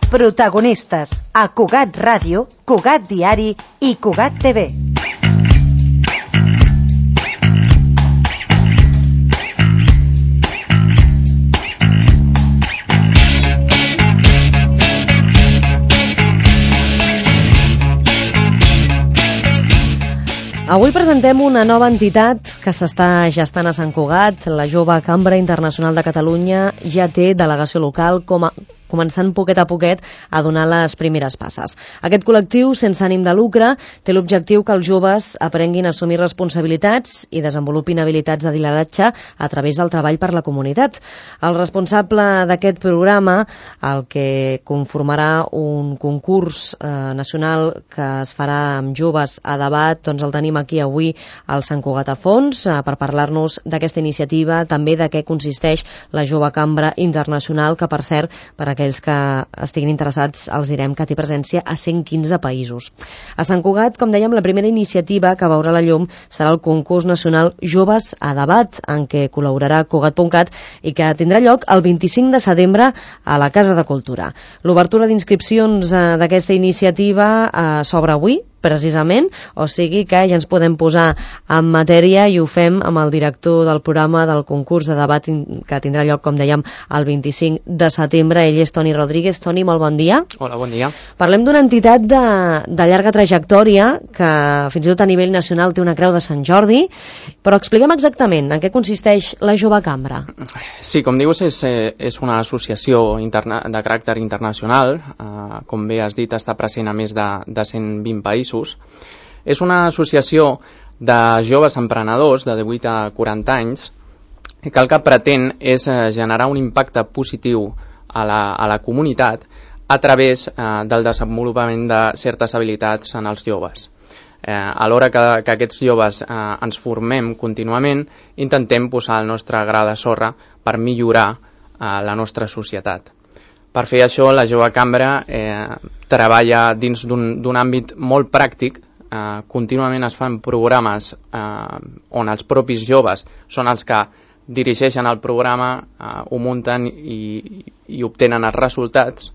Protagonistes a Cugat Ràdio, Cugat Diari i Cugat TV. Avui presentem una nova entitat que s'està gestant a Sant Cugat. La Jove Cambra Internacional de Catalunya ja té delegació local, començant poquet a poquet a donar les primeres passes. Aquest col·lectiu, sense ànim de lucre, té l'objectiu que els joves aprenguin a assumir responsabilitats i desenvolupin habilitats de lideratge a través del treball per la comunitat. El responsable d'aquest programa, el que conformarà un concurs nacional que es farà amb joves a debat, doncs el tenim aquí avui al Sant Cugat a Fons per parlar-nos d'aquesta iniciativa, també de què consisteix la Jove Cambra Internacional, que per cert, per aquells que estiguin interessats, els direm que té presència a 115 països. A Sant Cugat, com dèiem, la primera iniciativa que veurà la llum serà el concurs nacional Joves a Debat, en què col·laborarà Cugat.cat i que tindrà lloc el 25 de setembre a la Casa de Cultura. L'obertura d'inscripcions d'aquesta iniciativa s'obre avui, precisament, o sigui que ja ens podem posar en matèria i ho fem amb el director del programa del concurs de debat que tindrà lloc, com dèiem, el 25 de setembre. Ell és Toni Rodríguez. Toni, molt bon dia. Hola, bon dia. Parlem d'una entitat de llarga trajectòria que fins i tot a nivell nacional té una creu de Sant Jordi, però expliquem exactament en què consisteix la Jove Cambra. Sí, com dius, és una associació de caràcter internacional, com bé has dit, està present a més de 120 països. És una associació de joves emprenedors de 18 a 40 anys que el que pretén és generar un impacte positiu a la comunitat a través del desenvolupament de certes habilitats en els joves. Alhora que aquests joves ens formem contínuament, intentem posar el nostre gra de sorra per millorar la nostra societat. Per fer això, la Jove Cambra treballa dins d'un àmbit molt pràctic. Contínuament es fan programes on els propis joves són els que dirigeixen el programa, ho munten i obtenen els resultats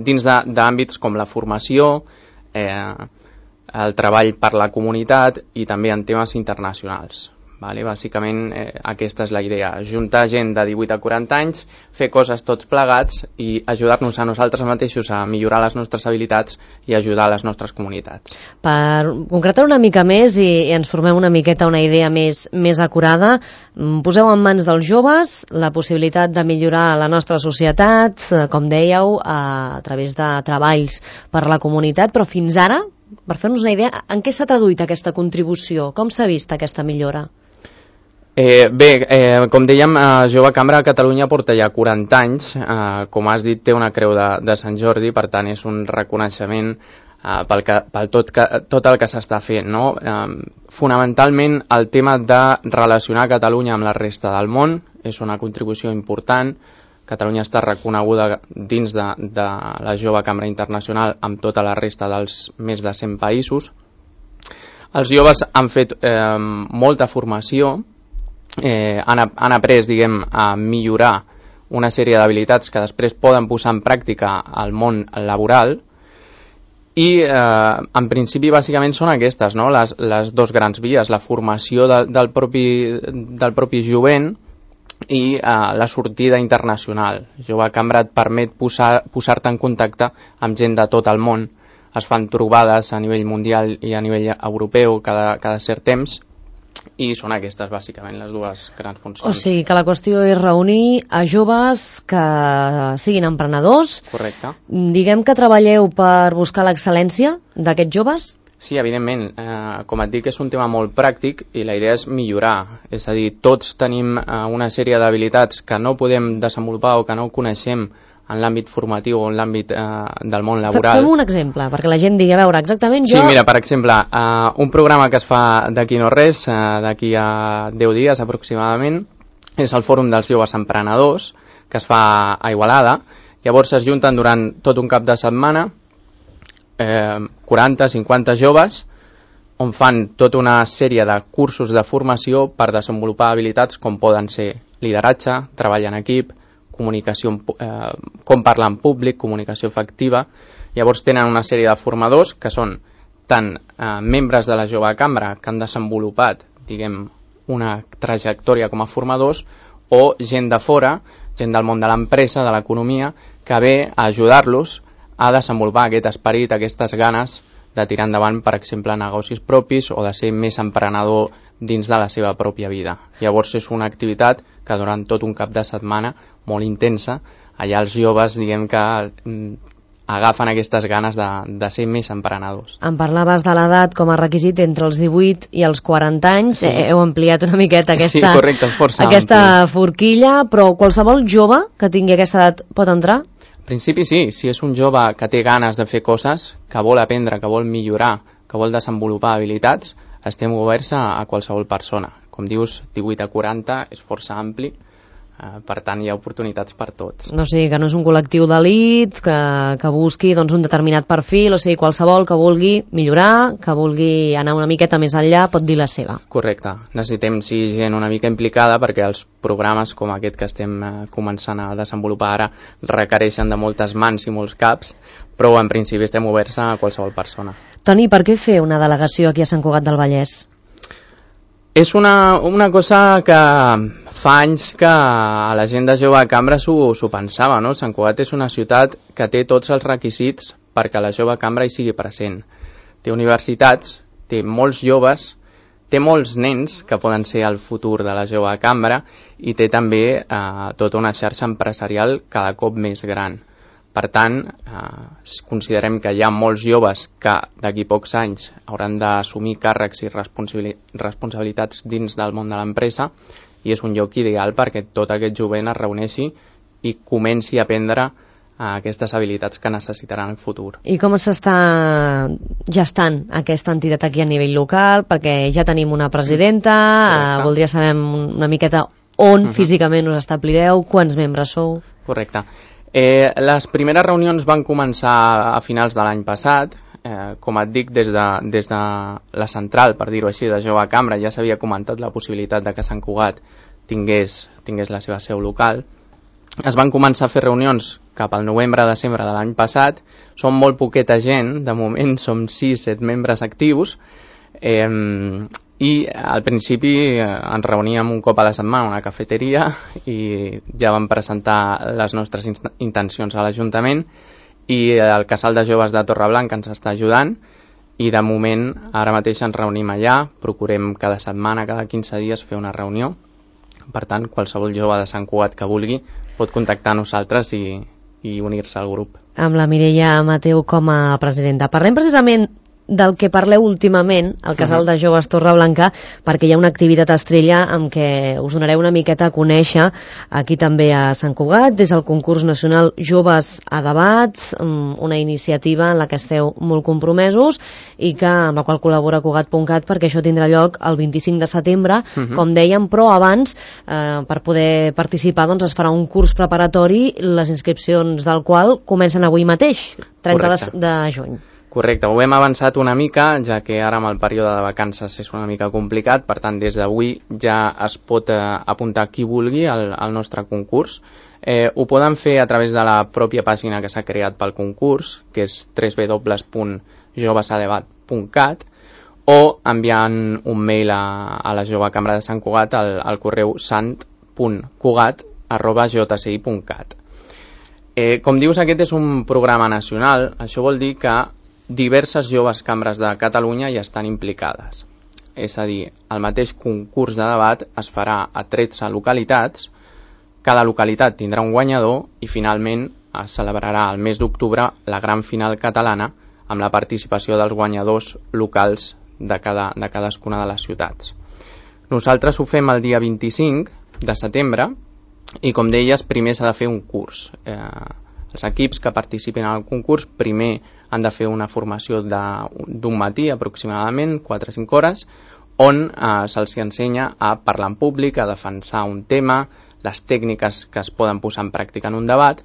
dins d'àmbits com la formació, el treball per la comunitat i també en temes internacionals. Bàsicament aquesta és la idea, juntar gent de 18 a 40 anys, fer coses tots plegats i ajudar-nos a nosaltres mateixos a millorar les nostres habilitats i ajudar les nostres comunitats. Per concretar una mica més i ens formem una miqueta una idea més acurada, poseu en mans dels joves la possibilitat de millorar la nostra societat, com dèieu, a través de treballs per la comunitat, però fins ara, per fer-nos una idea, en què s'ha traduït aquesta contribució? Com s'ha vist aquesta millora? Com dèiem, Jove Cambra a Catalunya porta ja 40 anys, com has dit té una creu de Sant Jordi, per tant és un reconeixement pel tot el que s'està fent, no? Fonamentalment el tema de relacionar Catalunya amb la resta del món és una contribució important. Catalunya està reconeguda dins de la Jove Cambra Internacional amb tota la resta dels més de 100 països. Els joves han fet molta formació, han après, a millorar una sèrie d'habilitats que després poden posar en pràctica al món laboral i en principi bàsicament són aquestes, no? Les dos grans vies, la formació del propi jovent i la sortida internacional. Jove Cambra et permet posar-te en contacte amb gent de tot el món. Es fan trobades a nivell mundial i a nivell europeu cada cert temps i són aquestes bàsicament les dues grans funcions. O sigui que la qüestió és reunir a joves que siguin emprenedors. Correcte. Diguem que treballeu per buscar l'excel·lència d'aquests joves? Sí, evidentment. Com et dic, és un tema molt pràctic i la idea és millorar. És a dir, tots tenim una sèrie d'habilitats que no podem desenvolupar o que no coneixem en l'àmbit formatiu o en l'àmbit del món laboral. Fem un exemple, perquè la gent digui, a veure, exactament jo... Sí, mira, per exemple, un programa que es fa d'aquí no res, d'aquí a 10 dies aproximadament, és el Fòrum dels Joves Emprenedors, que es fa a Igualada. Llavors es junten durant tot un cap de setmana 40-50 joves on fan tota una sèrie de cursos de formació per desenvolupar habilitats com poden ser lideratge, treball en equip, comunicació, com parlar en públic, comunicació efectiva. Llavors tenen una sèrie de formadors que són tant membres de la jove cambra que han desenvolupat, diguem, una trajectòria com a formadors, o gent de fora, gent del món de l'empresa, de l'economia, que ve a ajudar-los a desenvolupar aquest esperit, aquestes ganes de tirar endavant, per exemple, negocis propis o de ser més emprenedor dins de la seva pròpia vida. Llavors és una activitat que durant tot un cap de setmana molt intensa, allà els joves, diguem que agafen aquestes ganes de ser més emprenedors. Em parlaves de l'edat com a requisit entre els 18 i els 40 anys. Sí. Heu ampliat una miqueta aquesta, sí, correcte, força aquesta forquilla, però qualsevol jove que tingui aquesta edat pot entrar? En principi sí, si és un jove que té ganes de fer coses, que vol aprendre, que vol millorar, que vol desenvolupar habilitats, estem oberts a qualsevol persona. Com dius, 18 a 40 és força ampli, per tant hi ha oportunitats per tots. No sé, que no és un col·lectiu d'elit, que busqui doncs, un determinat perfil, o sigui, qualsevol que vulgui millorar, que vulgui anar una miqueta més enllà, pot dir la seva. Correcte. Necessitem ser gent una mica implicada perquè els programes com aquest que estem començant a desenvolupar ara requereixen de moltes mans i molts caps, però en principi estem oberts a qualsevol persona. Toni, per què fer una delegació aquí a Sant Cugat del Vallès? És una cosa que fa anys que a la gent de jove cambra s'ho pensava, no? Sant Cugat és una ciutat que té tots els requisits perquè la jove cambra hi sigui present. Té universitats, té molts joves, té molts nens que poden ser el futur de la jove cambra i té també tota una xarxa empresarial cada cop més gran. Per tant, considerem que hi ha molts joves que d'aquí pocs anys hauran d'assumir càrrecs i responsabilitats dins del món de l'empresa i és un lloc ideal perquè tot aquest jovent es reuneixi i comenci a aprendre aquestes habilitats que necessitaran en el futur. I com s'està gestant aquesta entitat aquí a nivell local? Perquè ja tenim una presidenta, voldria saber una miqueta on físicament us establireu, quants membres sou? Correcte. Les primeres reunions van començar a finals de l'any passat. Com et dic, des de la central, per dir-ho així, de jove cambra, ja s'havia comentat la possibilitat de que Sant Cugat tingués la seva seu local. Es van començar a fer reunions cap al novembre-desembre de l'any passat. Som molt poqueta gent, de moment som 6-7 membres actius, i al principi ens reuníem un cop a la setmana a una cafeteria i ja vam presentar les nostres intencions a l'Ajuntament i el Casal de Joves de Torreblanca ens està ajudant i de moment ara mateix ens reunim allà, procurem cada setmana, cada 15 dies fer una reunió. Per tant, qualsevol jove de Sant Cugat que vulgui pot contactar a nosaltres i unir-se al grup. Amb la Mireia Mateu com a presidenta. Parlem precisament del que parleu últimament al Casal de Joves Torreblanca, perquè hi ha una activitat estrella amb què us donareu una miqueta a conèixer aquí també a Sant Cugat, des del concurs nacional Joves a Debat, una iniciativa en la que esteu molt compromesos i amb la qual col·labora Cugat.cat, perquè això tindrà lloc el 25 de setembre, com dèiem, però abans, per poder participar, doncs es farà un curs preparatori, les inscripcions del qual comencen avui mateix, 30 de juny. Correcte, ho hem avançat una mica, ja que ara amb el període de vacances és una mica complicat, per tant des d'avui ja es pot apuntar qui vulgui al nostre concurs. Ho poden fer a través de la pròpia pàgina que s'ha creat pel concurs, que és www.jovesadebat.cat, o enviant un mail a la jove cambra de Sant Cugat al correu sant.cugat@jci.cat. Com dius, aquest és un programa nacional. Això vol dir que diverses joves cambres de Catalunya hi estan implicades. És a dir, el mateix concurs de debat es farà a 13 localitats, cada localitat tindrà un guanyador i finalment es celebrarà el mes d'octubre la gran final catalana amb la participació dels guanyadors locals de cadascuna de les ciutats. Nosaltres ho fem el dia 25 de setembre i, com deies, primer s'ha de fer un curs. Els equips que participin al concurs primer han de fer una formació d'un matí aproximadament, 4 o 5 hores, on se'ls ensenya a parlar en públic, a defensar un tema, les tècniques que es poden posar en pràctica en un debat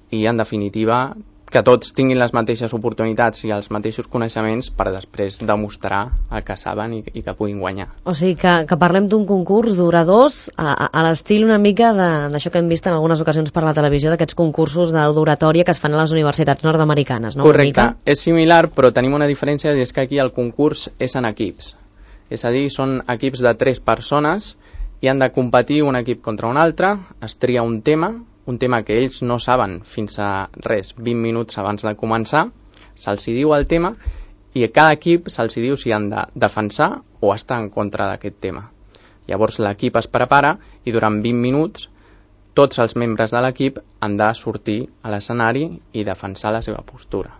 i, en definitiva, que tots tinguin les mateixes oportunitats i els mateixos coneixements per després demostrar el que saben i que puguin guanyar. O sigui que parlem d'un concurs d'oradors a l'estil una mica d'això que hem vist en algunes ocasions per la televisió, d'aquests concursos d'oratòria que es fan a les universitats nord-americanes, no? Correcte, és similar, però tenim una diferència, i és que aquí el concurs és en equips. És a dir, són equips de 3 persones i han de competir un equip contra un altre, es tria un tema que ells no saben fins a 20 minuts abans de començar, se'ls diu el tema i a cada equip se'ls diu si han de defensar o estar en contra d'aquest tema. Llavors l'equip es prepara i durant 20 minuts tots els membres de l'equip han de sortir a l'escenari i defensar la seva postura.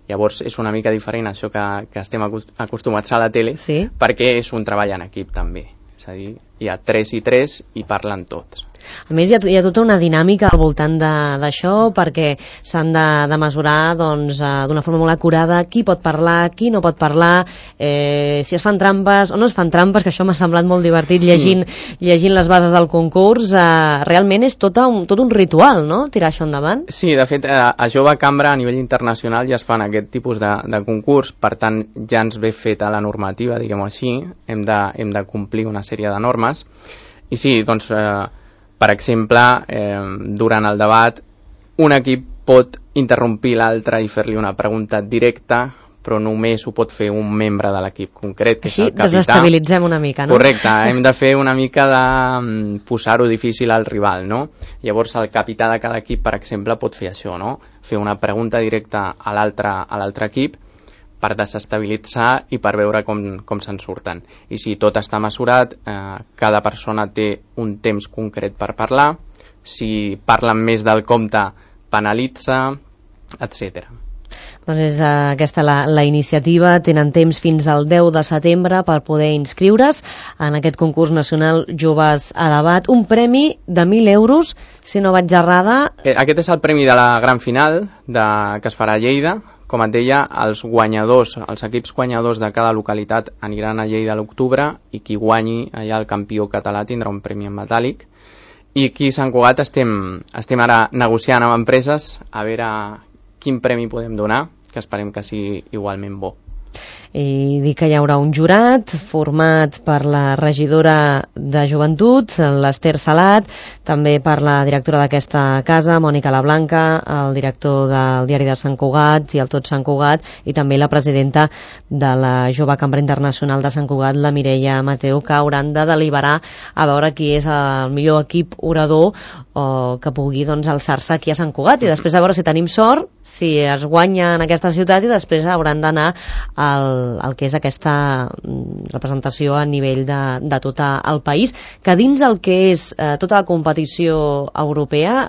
Llavors és una mica diferent això que estem acostumats a la tele, sí, perquè és un treball en equip també. És a dir, hi ha 3 i 3 i parlen tots. A més, hi ha tota una dinàmica al voltant d'això, perquè s'han de mesurar d'una forma molt acurada qui pot parlar, qui no pot parlar, si es fan trampes o no es fan trampes, que això m'ha semblat molt divertit llegint les bases del concurs. Realment és tot un ritual, no?, tirar això endavant. Sí, de fet, a Jove Cambra a nivell internacional ja es fan aquest tipus de concurs, per tant ja ens ve feta la normativa, diguem-ho així, hem de complir una sèrie de normes. I sí, doncs, per exemple, durant el debat, un equip pot interrompir l'altre i fer-li una pregunta directa, però només ho pot fer un membre de l'equip concret, que és el capità. Així desestabilitzem una mica, no? Correcte, hem de fer una mica de posar-ho difícil al rival, no? Llavors el capità de cada equip, per exemple, pot fer això, no? Fer una pregunta directa a l'altre equip per desestabilitzar i per veure com se'n surten. I si tot està mesurat, cada persona té un temps concret per parlar, si parlen més del compte penalitza, etc. Doncs és aquesta la iniciativa. Tenen temps fins al 10 de setembre per poder inscriure's en aquest concurs nacional Joves a Debat. Un premi de 1.000 euros, si no vaig errada. Aquest és el premi de la gran final que es farà a Lleida. Com et deia, els equips guanyadors de cada localitat aniran a Lleida a l'octubre i qui guanyi allà el campió català tindrà un premi en metàl·lic. I aquí a Sant Cugat estem ara negociant amb empreses a veure quin premi podem donar, que esperem que sigui igualment bo. I dir que hi haurà un jurat format per la regidora de Joventut, l'Ester Salat, també per la directora d'aquesta casa, Mònica Lablanca, el director del diari de Sant Cugat i el Tot Sant Cugat, i també la presidenta de la Jove Cambra Internacional de Sant Cugat, la Mireia Mateu, que hauran de deliberar a veure qui és el millor equip orador o que pugui alçar-se aquí a Sant Cugat, i després a veure si tenim sort, si es guanya en aquesta ciutat, i després hauran d'anar al que és aquesta representació a nivell de tot el país, que dins el que és tota la competició europea,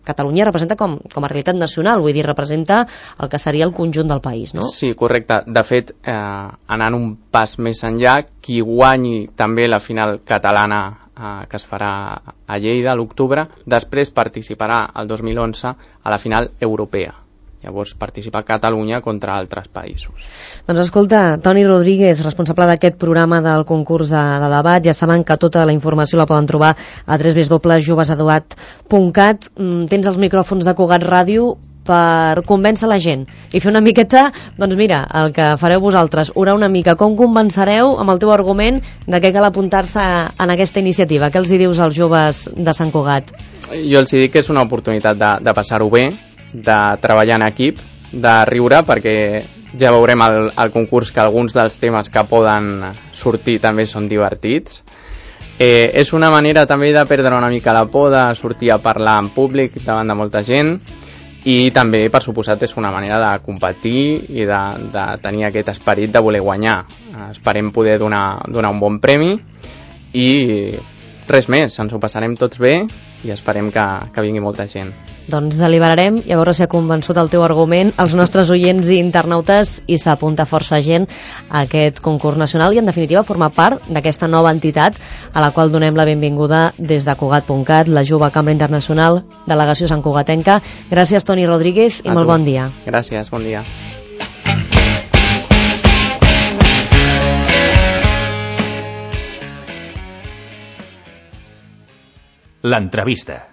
Catalunya representa com a realitat nacional, vull dir, representa el que seria el conjunt del país, no? Sí, correcte. De fet, anant un pas més enllà, qui guanyi també la final catalana que es farà a Lleida a l'octubre, després participarà el 2011 a la final europea. Llavors participa Catalunya contra altres països. Doncs escolta, Toni Rodríguez, responsable d'aquest programa del concurs de debat, ja saben que tota la informació la poden trobar a www.jovesadebat.cat. Tens els micròfons de Cugat Ràdio per convèncer la gent i fer una miqueta, doncs mira, el que fareu vosaltres, orar una mica, com convencereu amb el teu argument de què cal apuntar-se en aquesta iniciativa? Què els hi dius als joves de Sant Cugat? Jo els dic que és una oportunitat de passar-ho bé, de treballar en equip, de riure, perquè ja veurem al concurs que alguns dels temes que poden sortir també són divertits. És una manera també de perdre una mica la por de sortir a parlar en públic davant de molta gent, i també, per suposat, és una manera de competir i de tenir aquest esperit de voler guanyar. Esperem poder donar un bon premi i res més, ens ho passarem tots bé i esperem que vingui molta gent. Doncs deliberarem i a veure si ha convençut el teu argument als nostres oients i internautes i s'apunta força gent a aquest concurs nacional i en definitiva formar part d'aquesta nova entitat a la qual donem la benvinguda des de Cugat.cat, la Jove Cambra Internacional, delegació Sant Cugatenca. Gràcies, Toni Rodríguez, i molt bon dia. Gràcies, bon dia. L'entrevista.